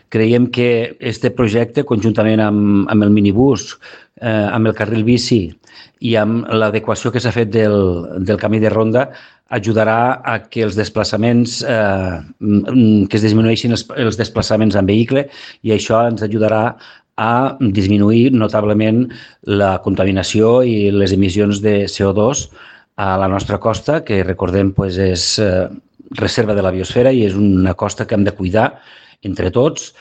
Creiem que aquest projecte, conjuntament amb el minibús, amb el carril bici i amb l'adequació que s'ha fet del camí de ronda, ajudarà a que els desplaçaments, que es disminueixin els desplaçaments en vehicle, i això ens ajudarà a disminuir notablement la contaminació i les emissions de CO2 a la nostra costa, que recordem és reserva de la biosfera i és una costa que hem de cuidar entre tots.